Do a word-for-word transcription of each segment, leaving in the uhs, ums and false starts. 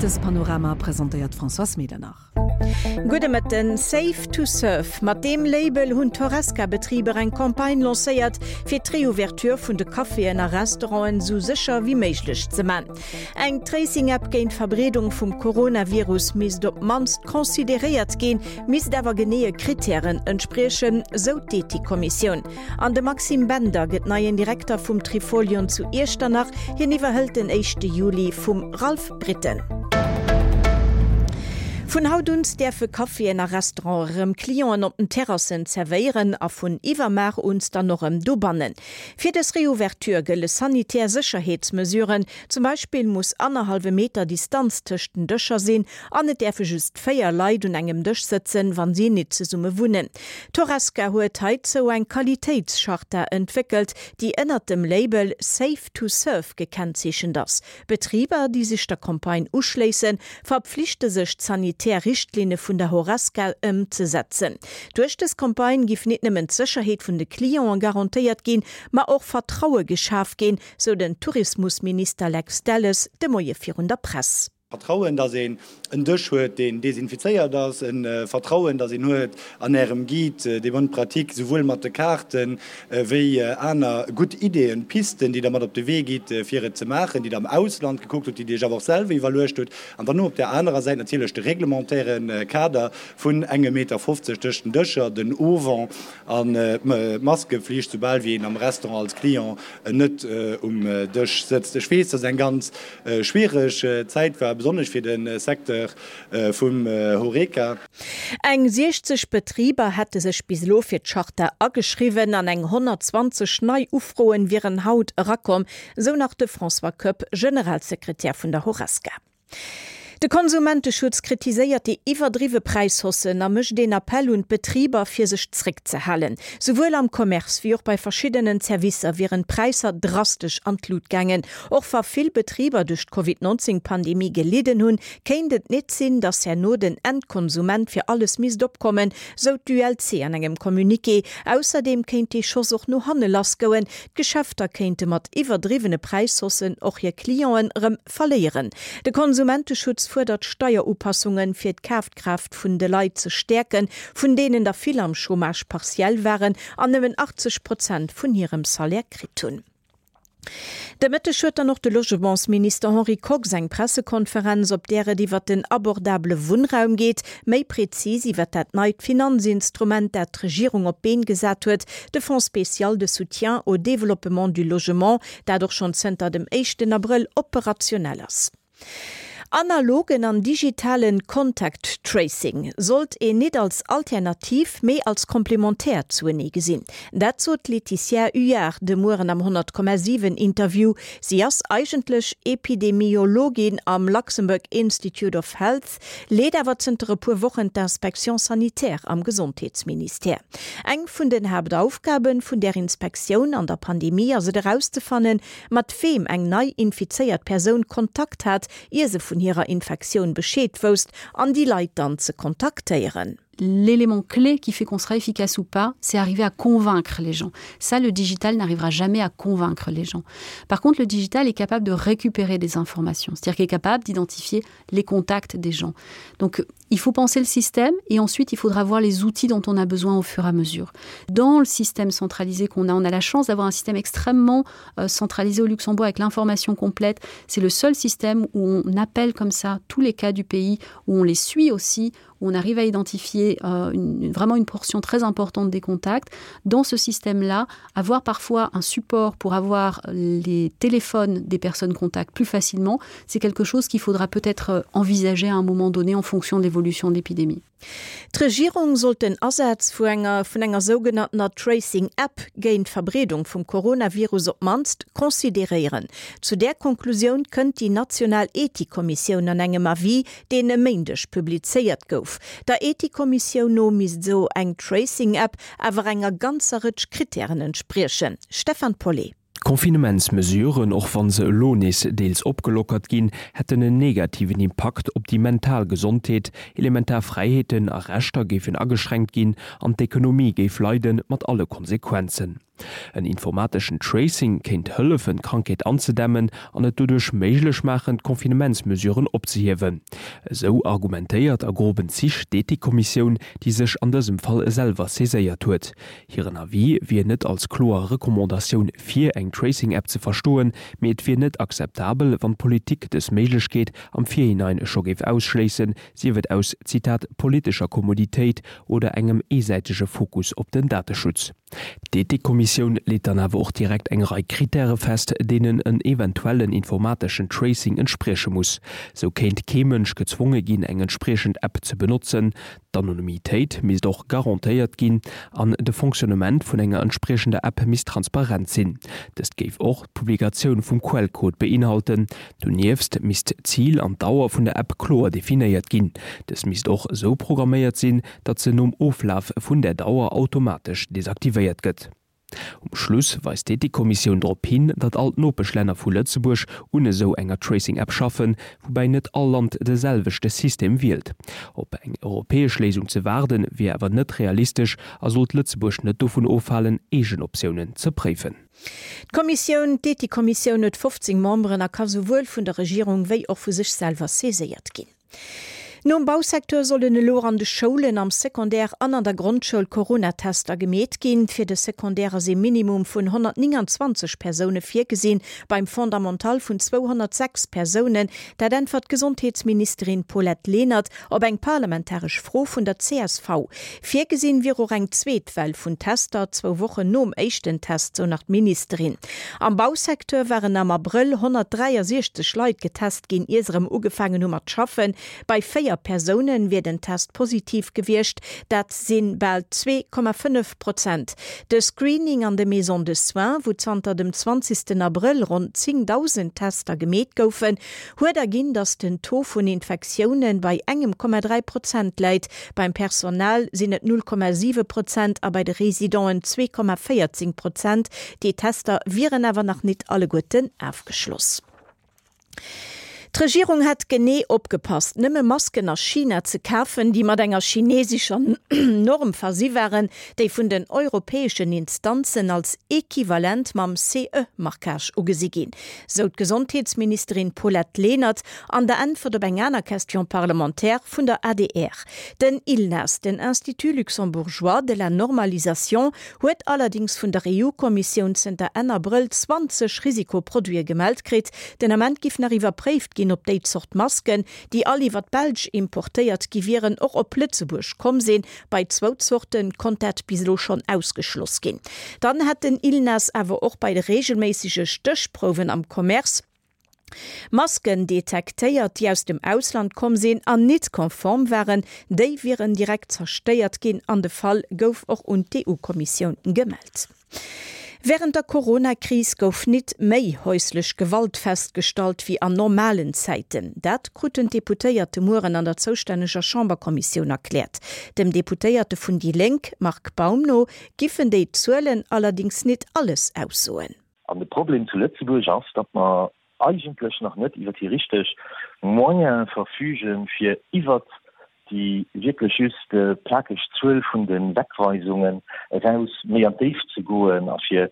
Mëttespanorama presentéiert d'Françoise Medernach. Gudde Mëtten. Safe to Serve, mat deem Label hunn d'Horesca-Betriber eng Campagne lancéiert, fir d'Reouverture vun de Caféen a Restauranten sou sécher wéi méiglech ze man. Eng Tracing-App géint d'Verbreedung vum Coronavirus misst op d'mannst consideréiert ginn, misst awer geneeë Krittären entspriechen, sou d'Ethikkommissioun. An de Maxime Bender gëtt neien Direkter vum Trifolion zu Iechternach, hien iwwerhëlt den éischte Juli vum Ralph Britten. Vun haut un däerfe Caféen a Restauranten erëm Clienten op den Terrassen zerwéieren a vun iwwermuer un dann och erëm dobannen. Fir dës Reouverture gëlle sanitär Sécherheetsmesuren, zum Beispill muss annerhallwe Meter Distanz tëscht den Dëscher sinn an et däerfe just véier Leit un engem Dësch sëtzen, wann si net zesumme wunnen. D'Horesca huet heizou eng Qualitéitscharta entwéckelt, déi ënnert dem Label Safe to Serve gekennzeechent ass. Betriber, déi sech der Campagne uschléissen, verpflichte sech d'sanitär Richtlinne vun der Horesca ëmzesetzen. Duerch dës Campagne géif net nëmmen d'Sécherheet vun de Clienten garantéiert ginn, ma och Vertraue geschaf ginn, sou den Tourismusminister Lex Delles de Moie virun der Press. Vertrauen, datt een en Dësch huet, deen desinfizéiert ass, e Vertrauen, datt een huet an Ärem Guide des bonnes pratiques, souwuel mat de Kaarten wéi aner gutt Ideeën, Pisten, déi Der mat op de Wee gitt, fir et ze maachen, déi Der am Ausland gekuckt hutt, déi Dir Iech awer och selwer iwwerluecht hutt. An dann op där anerer Säit natierlech de reglementäre Kader vun engem Meter fofzeg tëscht den Dëscher, den Auvent an d'Maskeflicht, soubal wéi een am Restaurant als Client net um Dësch sëtzt. Ech weess, dass et eng ganz schwiereg Zäit war, besonnesch fir de Secteur vum Horeca. Eng siechzeg Betriber hätte sech bis elo fir d'Charta ageschriwwen an eng honnertzwanzeg nei Ufroen wieren haut erakomm, sou nach de François Koepp, Generalsekretär vun der Horesca. De Konsumenteschutz kritiséiert déi iwwerdriwwe Präishaussen a mécht een Appell un d'Betriber, fir sech zréckzehalen. Souwuel am Commerce wéi och bei verschiddenen Servicer wieren d'Präisser drastesch an d'Lut gaangen. Och wa vill Betriber duerch d'Covid neunzéng Pandemie gelidden hunn, kéint et net sinn, datt herno den Endkonsument fir alles misst opkommen, sou d'ULC an engem Communiqué. Ausserdeem kéint dee Schoss och no hanne lassgoen, d'Geschäfter kéinte mat iwwerdriwwene Präishaussen och hir Clienten erëm verléieren. De Konsumenteschutz fuerdert Steierupassunge fir d'Kafkraaft vun de Leit ze stäerken, vun deenen der vill am Chômage partiel waren an nëmmen achtzeg Prozent vun hirem Salaire kritt hunn. De Mëtteg huet dann och de Logementsminister Henri Kox eng Pressekonferenz, op där et iwwer den abordabele Wunnraum geet, méi prezis iwwer dat neit Finanzinstrument, dat d'Regierung op d'Been gesat huet, de Fonds spécial de soutien au développement du logement, dat och schonn zënter dem éischten Abrëll operationell ass. Analogen an digitalen Contact Tracing sollt een net als Alternativ, mee als Komplementär zuenee gesinn. Dat sot d'Laetitia Huiard de Mueren am honnert Komma siwen Interview. Si ass eigentlech Epidemiologin am Luxembourg Institute of Health, leet awer zënter e puer Wochen d'Inspection sanitaire am Gesondheetsministère. Eng vun den Haaptaufgaben vun där Inspektioun an der Pandemie ass et erauszefannen, mat weem eng nei infizéiert Persoun Kontakt hat, ier se vun hirer Infektioun Bescheed wousst, an déi Leit dann ze kontaktéieren. L'élément clé qui fait qu'on sera efficace ou pas, c'est arriver à convaincre les gens. Ça, le digital n'arrivera jamais à convaincre les gens. Par contre, le digital est capable de récupérer des informations, c'est-à-dire qu'il est capable d'identifier les contacts des gens. Donc, il faut penser le système et ensuite, il faudra voir les outils dont on a besoin au fur et à mesure. Dans le système centralisé qu'on a, on a la chance d'avoir un système extrêmement euh, centralisé au Luxembourg avec l'information complète. C'est le seul système où on appelle comme ça tous les cas du pays, où on les suit aussi, où on arrive à identifier euh, une, vraiment une portion très importante des contacts. Dans ce système-là, avoir parfois un support pour avoir les téléphones des personnes contacts plus facilement, c'est quelque chose qu'il faudra peut-être euh, envisager à un moment donné en fonction de l'évolution de l'épidémie. D'Regierung sollt den Asaz vu enger vun enger sougenanntener Tracing App géint d'Verbreedung vum Coronavirus op d'mannst consideréieren. Zu där Konklusioun kënnt déi national Ethikkommissioun an engem Avis, deen e Méindeg publizéiert gouf. Der Ethikkommissioun no misst esou eng Tracing App awer enger ganzer Rëtsch Krittären entspriechen. Stefan Paulet. D'Confinementsmesuren, och wa se elo nees deels opgelockert ginn, hätten en negativen Impakt op déi mental Gesondheet, elementar Fräiheeten a Rechter géifen ageschränkt ginn an d'Ekonomie géif leiden, mat alle Konsequenzen. En informateschen Tracing kéint hëllefen, d'Krankheet anzedämmen an et doduerch méiglech maachen, d'Confinementsmesuren opzehiewen. Esou argumentéiert a groben Zich d'Ethikkommissioun, déi sech an dësem Fall selwer saiséiert huet. Hiren Avis wier net als kloer Recommandatioun fir eng Tracing-App ze verstoen, mee et wier net akzeptabel, wann d'Politik dës Méiglechkeet am Virhinein scho géif ausschléissen, sief et aus, Zitat, politescher Kommoditéit oder engem eesäitege Fokus op den Dateschutz. D'Ethikkommissioun leet dann awer och direkt eng Rei Krittäre fest, deenen en eventuellen informateschen Tracing entsprieche muss. Sou kéint kee Mënsch gezwonge ginn, eng entspriechend App ze benotzen, d'Anonymitéit misst och garantéiert ginn an de Fonctionnement vun enger entspriechender App misst transparent sinn. Dëst géif och d'Publikatioun vum Quellcode beinhalten. Donieft misst d'Zil an d'Dauer vun der App kloer definéiert ginn. Dës misst och esou programméiert sinn, datt se nom Oflaf vun der Dauer automatesch desaktivéiert gëtt. Um Schluss weist d'Ethikkommissioun drop hin, datt all d'Nopeschlänner vu Lëtzebuerg un esou enger Tracing-App schaffen, woubäi net all Land de selwechte System wielt. Op eng europäesch Léisung ze waarden, wier awer net realistesch a sollt Lëtzebuerg net dovun ofhalen, eegen Optiounen ze préifen. D'Kommissioun, d'Ethikkommissioun huet fofzéng Memberen a ka souwuel vun der Regierung wéi och vu sech selwer saiséiert ginn. Nom Bausecteur sollen elo an de Schoulen am Secondaire an an der Grondschoul Coronatester gemeet ginn. Fir de Secondaire ass ee Minimum vun honnertnénganzwanzeg Persoune virgesinn, beim Fondamental vun zweihonnertsechs Persounen. Dat äntwert d'Gesondheetsministerin Paulette Lenert op eng parlamentaresch Fro vun der C S V. Virgesinn wier och eng zweet Well vun Tester, zwou Wochen nom éischten Test, sou nach d'Ministerin. Am Bausecteur waren am Abrëll honnertdräiasiechzeg Leit getest ginn, ier se erëm ugefaangen hu mat schaffen. Bei véier Persounen wier den Test positiv gewiescht, dat si bal zwee Komma fënnef Prozent. De Screening an de Maisons de soins, wou zanter dem zwanzegsten Abrëll ronn zéngdausend Tester gemeet goufen, huet erginn, datt den Taux vun Infektioune bei engem Komma dräi Prozent läit. Beim Personal sinn et null Komma siwe Prozent a bei de Residenten zwee Komma véierzéng Prozent. Déi Tester wieren awer nach nit alleguerten afgeschloss. D'Regierung hätt genee opgepasst, nëmme Masken a China ze kafen, déi mat enger chinesescher Norm versi waren, déi vun den europäeschen Instanzen als equivalent mam C E-Marquage ugesi ginn, sou d'Gesondheetsministerin Paulette Lenert an der Äntwert op eng aner Question parlementaire vun der A D R. Den ILNAS, den Institut luxembourgeois de la normalisation, huet allerdéngs vun der E U-Kommissioun zënter Enn Abrëll zwanzeg Risikoproduite gemellt kritt. Den Ament giff nach iwwerpréift ginn, ob déi Zort Masken, déi all iwwer d'Belsch importéiert gi wieren, och op Lëtzebuerg komm sinn. Bei zwou Zorte konnt dat bis elo schonn ausgeschloss ginn. Dann hätt den ILNAS awer och bei de reegelméissege Stéchprouwen am Commerce Masken detektéiert, déi aus dem Ausland komm sinn an nit konform waren. Déi wieren direkt zerstéiert ginn an de Fall gouf och un d'E U-Kommissioun gemellt. Wärend der Corona-Kris gouf nit méi häuslech Gewalt festgestallt wéi an normalen Zäiten. Dat kruten d'Deputéiert de Mueren an der zoustänneger Chamberkommissioun erkläert. Dem Deputéierte vun déi Lénk, Marc Baum no, giffen déi Zuelen allerdéngs nit alles aussoen. An de Problem zu Lëtzebuerg ass, datt mer eigentlech nach net iwwer déi richteg Moyene verfügen, fir iwwert déi wierklech just plakeg Zuel vun de Wegweisungen eraus méi an d'Déift ze goen a fir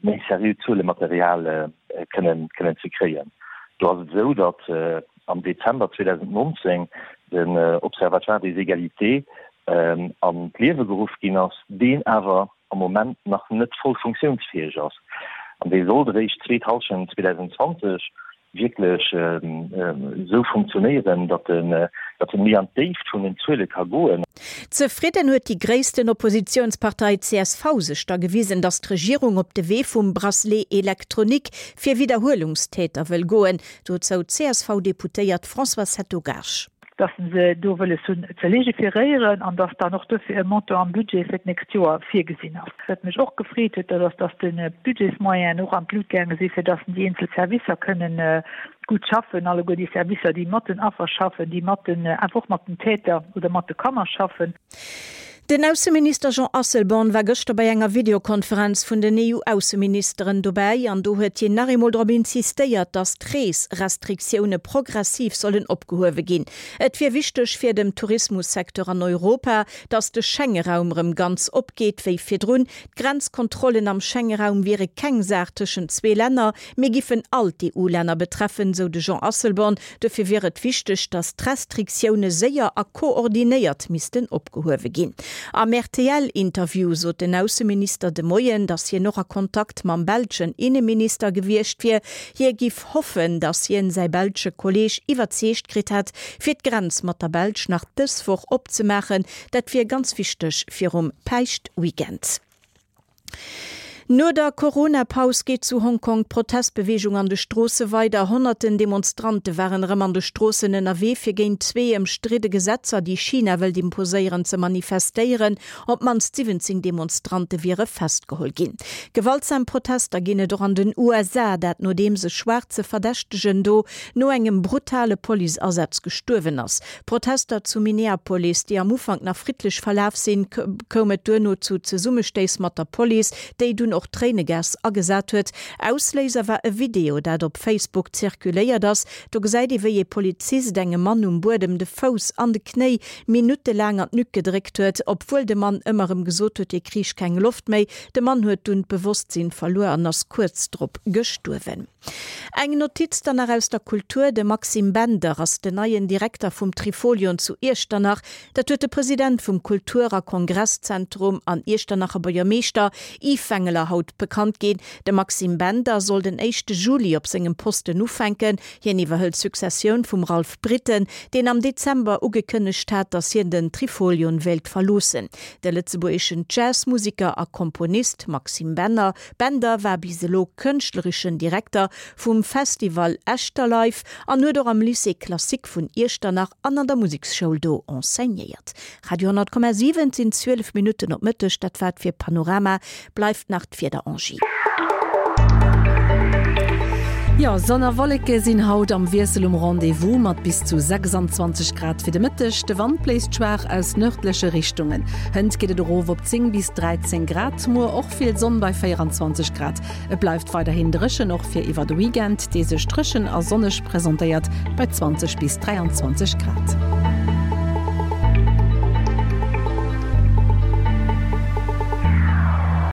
méi seriö Zuelematerial kënnen kënnen ze kréien. Do ass et esou, datt am Dezember zweedausendnonzéng den Observatoire des égalités an d'Liewe geruff ginn ass, deen awer am Moment nach net voll funktiounsfäeg ass. An dee sollt eréischt zweet Hallschent zweedausendzwanzeg wierklech esou funktionéieren, datt en datt en méi an d'Déift vun den Zuele ka goen. Zefridden huet déi gréissten Oppositiounspartei C S V sech da gewisen, datt d'Regierung op de Wee vum Bracelet électronique fir Widderhuelungstäter wëll goen. Dozou d'C S V-Deputéiert Françoise Hetto-Gaasch. Dass se do wëlles hunn ze legiferéieren an dass dann och dofir e Montant am Budget fir d'nächst Joer virgesinn ass. Wat mech och gefreet huet, dat ass, dass de Budgetsmoyenen och an d'Lut gaange si fir dass déi eenzel Servicer kënnen gutt schaffen, alleguer déi Servicer, déi mat den Affer schaffen, déi mat den, einfach och mat den Täter oder mat de Kanner schaffen. Den Ausseminister Jean Asselborn war gëschter bei enger Videokonferenz vun den E U-Ausseministeren dobäi an do huet hien nach eemol drop insistéiert, datt d'Reesrestriktioune progressiv sollen opgehuewe ginn. Et wier wichteg fir dem Tourismussecteur an Europa, datt de Schengeraum rëm ganz opgeet wéi virdrun. D'Grenzkontrollen am Schengeraum wiere keng Saach tëschent zwee Länner, mee giffen all d'E U-Länner betreffen, sou de Jean Asselborn. Dofir wier et wichteg, datt d'Restriktioune séier a koordinéiert missten opgehuewe ginn. Am R T L-Interview sot den Ausseminister de Moien, datt hien och a Kontakt mam belschen Inneminister gewiescht wier. Hie giff hoffen, datt hien säi belsche Kolleeg iwwerzeegt kritt hätt, fir d'Grenz mat der Belsch nach dës Woch opzemaachen. Dat wier ganz wichteg virum Päischtweekend. No der Corona-Paus geet zu Hongkong d'Protestbeweegung an de Stroosse weider. Honnerten Demonstrante waren erëm an de Stroossen ënnerwee fir géint zwee ëmstridde Gesetzer, déi China wëllt imposéieren, ze manifestéieren. Op d'mannst siwwenzéng Demonstrante wiere festgeholl ginn. Gewaltsam Protester ginn et och an den U S A, dat nodeems e schwaarze Verdächtegen do no engem brutale Policeasaz gestuerwen ass. Protester zu Minneapolis, déi am Ufank nach friddlech verlaf sinn, koum et duerno zu Zesummestéiss mat der Police, déi dunn och Tréinegas agesat huet. Ausléiser war e Video, dat op Facebook zirkuléiert ass. Do gesäit ee wéi e Polizist engem Mann um Buedem de Fouss an de Knéi minuttelaang an d'Nuck gedréckt huet, obwuel de Mann ëmmer erëm gesot huet, hie kréich keng Loft méi. De Mann huet dunn d'Bewosstsinn verluer an ass kuerz drop gestuerwen. Eng Notiz dann nach aus der Kultur, De Maxime Bender ass den neien Direkter vum Trifolion zu Iechternach. Dat huet de President vum Kultur a Kongresszentrum an Iechternacher Buergermeeschter Yves Wengeler haut bekannt ginn. De Maxime Bender soll den éischte Juli op sengem Posten ufänken. Hien iwwerhëlt d'Successioun vum Ralph Britten, deen am Dezember ugekënnegt hat, datt hien den Trifolion wéilt verloossen. De lëtzebuergeschen Jazzmuseker a Komponist Maxime Bender Bender war bis elo kënschtlereschen Direkter vum Festival Echterlive an huet och am Lycée Classique vun Iechternach an an der Museksschoul do enseignéiert. Radio honnert Komma siwen, et sinn zwielef Minutten op Mëtteg, dat war et fir Panorama, bleift nach d'Wieder, Angie. Jo, Sonn a Wolleke sinn haut am Wiessel um Rendez-vous mat bis zu sechsanzwanzeg Grad fir de Mëtteg. De Wand bléist schwaach aus nërdleche Richtungen. Hënt geet et erof op zéng bis dräizéng Grad, muer och vill Sonn bei véieranzwanzeg Grad. Et bleift weiderhin dréchen, och fir iwwer de Weekend, dee sech dréchen a sonneg presentéiert bei zwanzeg bis dräianzwanzeg Grad.